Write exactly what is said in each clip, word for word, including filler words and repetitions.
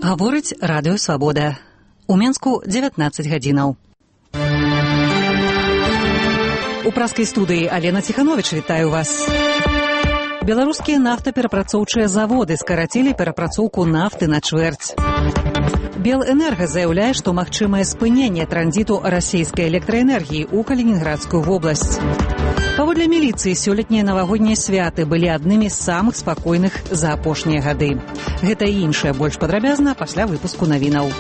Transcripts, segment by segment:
Гаворыць радыё Свабода. У Менску дзевятнаццаць гадзінаў. У праскай студыі Алена Ціхановіч вітаю вас. Беларускія нафтаперапрацоўчыя заводы скарацілі перапрацоўку нафты на чвэрць. Белэнерга заяўляе, што магчымае спыненне транзіту расійскай электраэнергіі ў Калінінградскую вобласць. Паводле міліцыі, сёлетнія навагоднія святы былі аднымі з самых спакойных за апошнія гады. Гэта і іншае больш падрабязна пасля выпуску навінаў.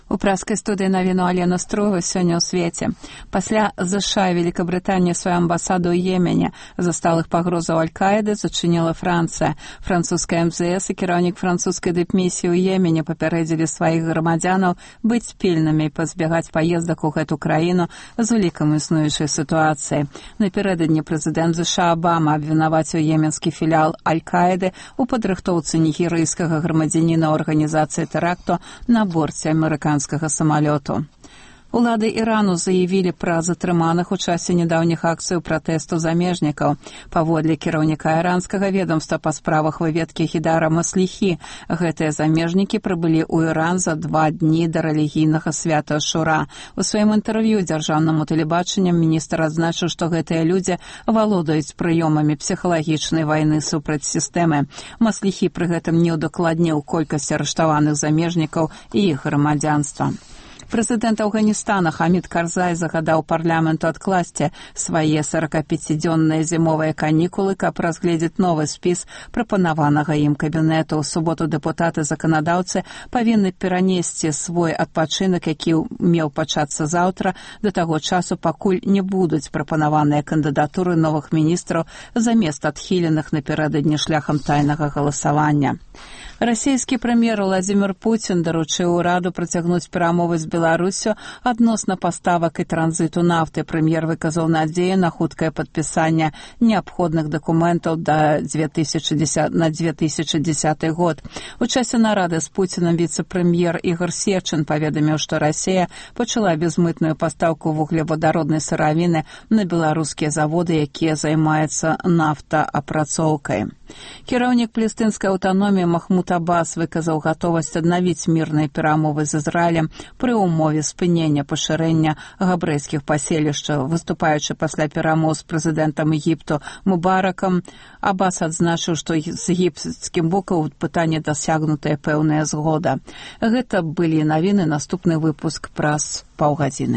У праскай студыі навіну Алена Струга сёння ў свеце. Пасля ЗША і Великабрытанія сваю амбасаду ў Йемене за сталых пагрозаў Аль-Каіды зачыніла Францыя. Французская эм зэ эс і кіраўнік французскай дыпмісіі ў Йемене папярэдзілі сваіх грамадзянаў быць пільнымі і пазбягаць паездак у гэту краіну з улікам існуючай сітуацыі. Напярэдадні прэзідэнт ЗША Абама абвінаваціў йеменскі філіал Аль-Каіды ў падрыхтоўцы нігерыйскага грамадзяніна арганізацыі тэракту на борце амерыканскага самалёту. Улады Ірану заявілі пра затрыманых у часе нядаўніх акцый пратэсту замежнікаў. Паводле кіраўніка іранскага ведомства па справах выведкі Хідара Масліхі, гэтыя замежнікі прыбылі ў Іран за два дні да рэлігійнага свята Ашура. У сваім інтэрв'ю дзяржаўнаму тэлебачанню міністр адзначыў, што гэтыя людзі валодаюць прыёмамі псіхалагічнай вайны супраць сістэмы. Масліхі пры гэтым не ўдакладніў колькасць арыштаваных замежнікаў і іх грамадзянства. Прэзідэнт Афганістана Хамід Карзай загадаў парламенту адкласці свае сорокапяцідзённыя зімовыя канікулы, каб разгледзець новы спіс прапанаванага ім кабінету. У суботу дэпутаты-заканадаўцы павінны перанесці свой адпачынак, які меў пачацца заўтра, да таго часу, пакуль не будуць прапанаваныя кандыдатуры новых міністраў замест адхіленых напярэдадні шляхам тайнага галасавання. Расійскі прэм'ер Владзімір Пуцін даручыў ураду працягнуць перамовы з Беларусю адносна паставак і транзіту нафты. Прэм'ер выказаў надзею на хуткае падпісанне неабходных дакументаў на две тысячи дзесяты год. У часе нарады з Пуцінам віцэ-прэм'ер Ігор Сечын паведаміў, што Расія пачала безмытную пастаўку вуглевадароднай сыравіны на беларускія заводы, якія займаюцца нафтаапрацоўкай. Кіраўнік палестынскай аўтаноміі Махмуд Аббас выказаў гатовасць аднавіць мірныя перамовы з Ізраілем пры ўмове спынення пашырэння габрэйскіх паселішчаў. Выступаючы пасля перамоў з прэзідэнтам Егіпту Мубаракам, Аббас адзначыў, што з егіпецкім бокам у пытанні дасягнутая пэўная згода. Гэта былі навіны, наступны выпуск праз паўгадзіны.